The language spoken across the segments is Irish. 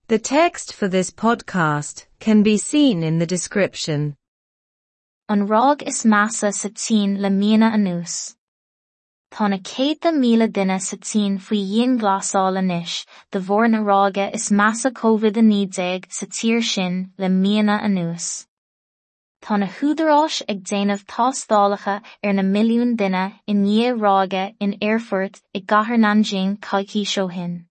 The text for this podcast can be seen in the description. An ráig is measa sa tSín le míonna anuas. Tá na céadta míle duine sa tSín faoi dhianghlasáil anois de bharr na ráige is measa Covid-19 sa tír sin le míonna anuas. Tá na húdaráis ag déanamh tástálacha ar na milliúin duine i ndiaidh ráige in aerfort i gcathair Nanjing coicís ó shin.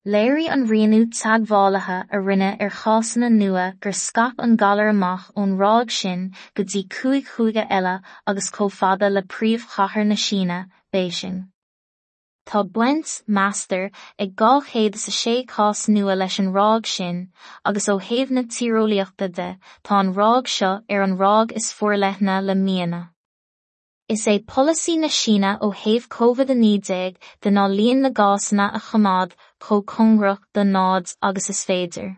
Léirigh an rianú teagmhálaithe a rinneadh ar chásanna nua gur scaip an galar amach ón ráig sin go dtí cúig chúige eile agus chomh fada le príomhchathair na Síne, Béising. Tá baint, meastar, ag 206 cás nua leis an ráig sin, agus ó thaobh na tíreolaíochta de, tá an ráig seo ar an ráig is forleithne le míonna. Is é polasaí na Síne ó thaobh Covid-19 de ná líon na gcásanna a choimeád chomh cóngarach do náid agus is féidir.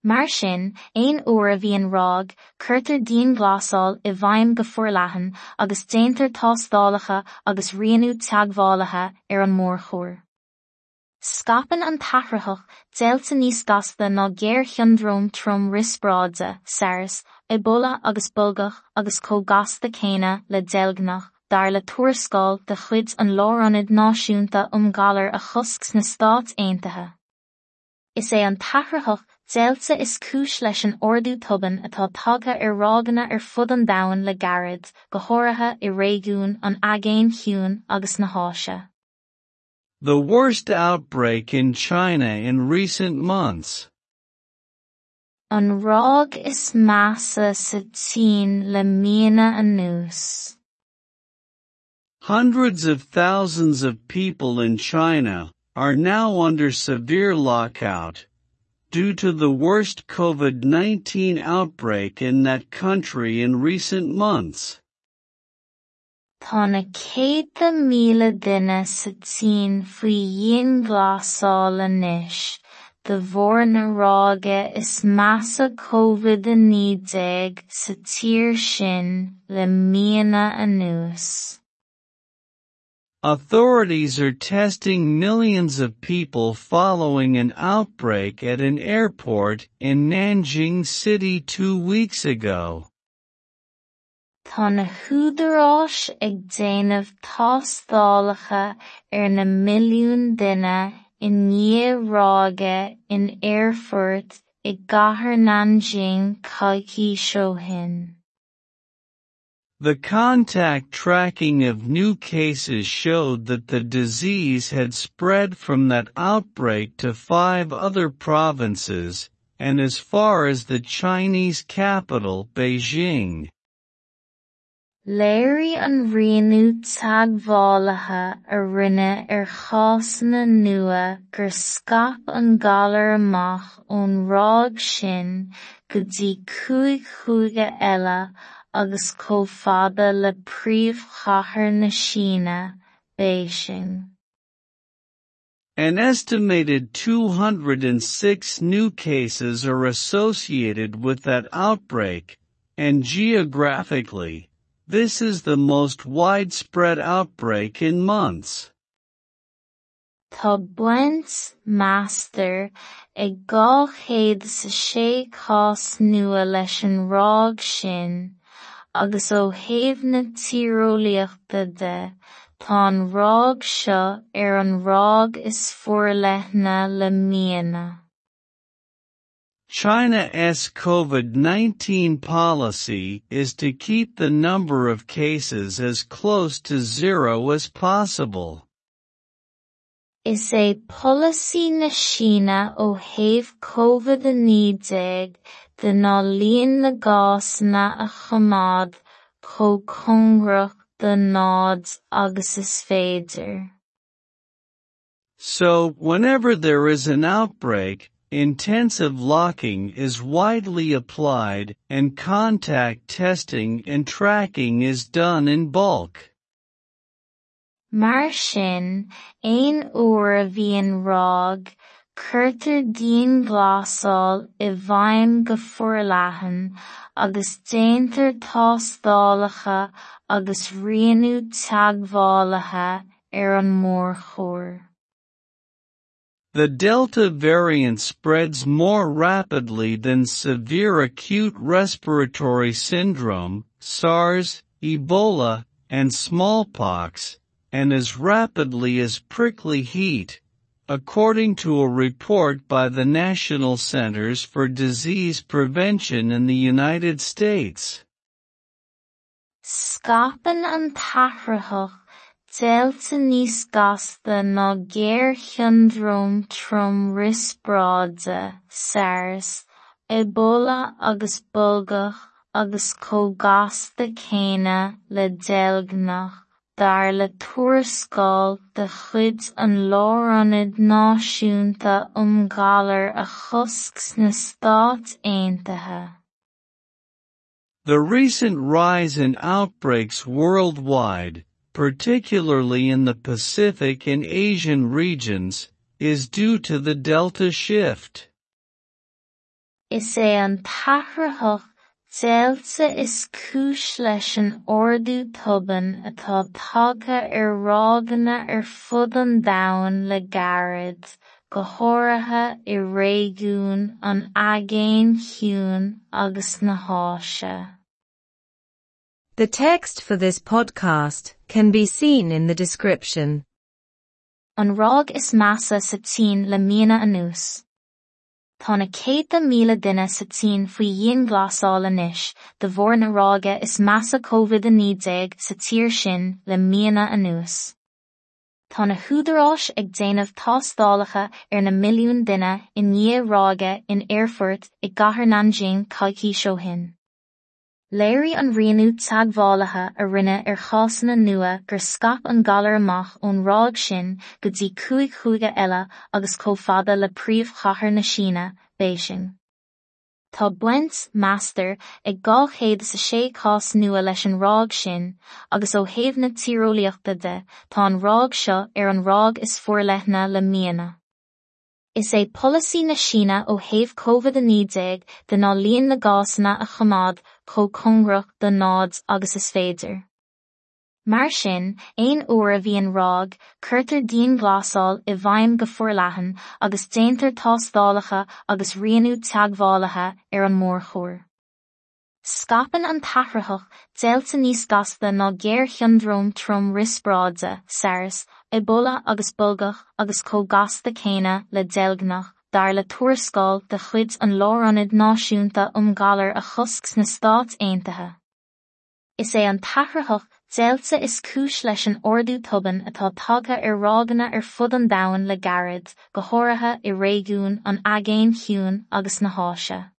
Mar sin, aon uair a bhíonn ráig, cuirtear dianghlasáil i bhfeidhm go forleathan agus déantar tástálacha agus rianú teagmhálaithe ar an mórchóir. Scaipeann an t-athraitheach deilte níos gasta ná géarshiondróm trom riospráide, SARS, Ebola agus bolgach agus chomh gasta céanna le deilgneach, dar le tuarascáil de chuid an Lárionaid Náisiúnta um Ghalair a Chosc sna Stáit Aontaithe. Is é an t-athraitheach deilte is cúis leis an ardú tobann atá tagtha ar ráigeanna ar fud an domhain le gairid, go háirithe i réigiún an Aigéin Chiúin agus na hÁise. The worst outbreak in China in recent months. An ráig is measa sa tSín le míonna anuas. Hundreds of thousands of people in China are now under severe lockout due to the worst COVID-19 outbreak in that country in recent months. Tá na céadta míle duine sa tSín faoi dhianghlasáil anois de bharr na ráige is measa Covid-19 sa tír sin le míonna anuas. Authorities are testing millions of people following an outbreak at an airport in Nanjing City 2 weeks ago. Tá na húdaráis ag déanamh tástálacha ar na milliúin duine i ndiaidh ráige in aerfort i gcathair Nanjing coicís ó shin. The contact tracking of new cases showed that the disease had spread from that outbreak to 5 other provinces, and as far as the Chinese capital, Beijing. Léirigh an rianú teagmhálaithe a rinneadh ar chásanna nua gur scaip an galar amach ón ráig sin go dtí cúig chúige eile agus chomh fada le príomhchathair na Síne, Béising. An estimated 206 new cases are associated with that outbreak, and geographically, this is the most widespread outbreak in months. Tá baint, meastar, ag 206 cás nua leis an ráig sin, agus ó thaobh na tíreolaíochta de, tá an ráig seo ar an ráig is forleithne le míonna. China's COVID-19 policy is to keep the number of cases as close to zero as possible. Is é polasaí na Síne ó thaobh Covid-19 de ná líon na gcásanna a choimeád chomh cóngarach do náid agus is féidir. So, whenever there is an outbreak, intensive locking is widely applied and contact testing and tracking is done in bulk. Mar sin, aon uair a bhíonn ráig, cuirtear dianghlasáil i bhfeidhm go forleathan agus déantar tástálacha agus rianú teagmhálaithe ar an mórchóir. The Delta variant spreads more rapidly than severe acute respiratory syndrome, SARS, Ebola, and smallpox, and as rapidly as prickly heat, according to a report by the National Centers for Disease Prevention in the United States. Scaipeann an t-athraitheach Deilte níos gasta ná géarshiondróm trom riospráide (SARS), Ebola agus bolgach agus chomh gasta céanna le deilgneach, dar le tuarascáil de chuid an Lárionaid Náisiúnta um Ghalair a Chosc sna Stáit Aontaithe. The recent rise in outbreaks worldwide, particularly in the Pacific and Asian regions, is due to the Delta shift. Is é an t-athraitheach Deilte is cúis leis an ardú tobann atá tagtha ar ráigeanna ar fud an domhain le gairid, go háirithe i réigiún an Aigéin Chiúin agus na hÁise. The text for this podcast can be seen in the description. An ráig is measa sa tSín le míonna anuas. Tá na céadta míle duine sa tSín faoi dhianghlasáil anois de bharr na ráige is measa COVID-19 sa tír sin le míonna anuas. Tá na húdaráis ag déanamh tástálacha ar na milliúin duine i ndiaidh ráige in aerfort i gcathair Nanjing coicís ó shin. Léirigh an rianú teagmhálaithe a rinneadh ar chásanna nua gur scaip an galar amach ón ráig sin go dtí cúig chúige eile agus chomh fada le príomhchathair na Síne, Béising. Tá baint, meastar, ag 206 cás nua leis an ráig sin, agus ó thaobh na tíreolaíochta de, tá an ráig seo ar an ráig is forleithne le míonna. Is é polasaí na Síne ó thaobh COVID-19 de ná líon na gcásanna a choimeád chomh cóngarach do náid agus is féidir. Mar sin, aon uair a bhíonn ráig, cuirtear dianghlasáil i bhfeidhm go forleathan agus déantar tástálacha agus rianú teagmhálaithe ar an mórchóir. Scaipeann an t-athraitheach Deilte níos gasta ná géarshiondróm trom riospráide (SARS), Ebola agus bolgach agus chomh gasta céanna le deilgneach, dar le tuarascáil de chuid an Lárionaid Náisiúnta um Ghalair a Chosc sna Stáit Aontaithe. Is é an t-athraitheach Deilte is cúis leis an ardú tobann atá tagtha ar ráigeanna ar fud an domhain le gairid, go háirithe i réigiún an Aigéin Chiúin agus na hÁise.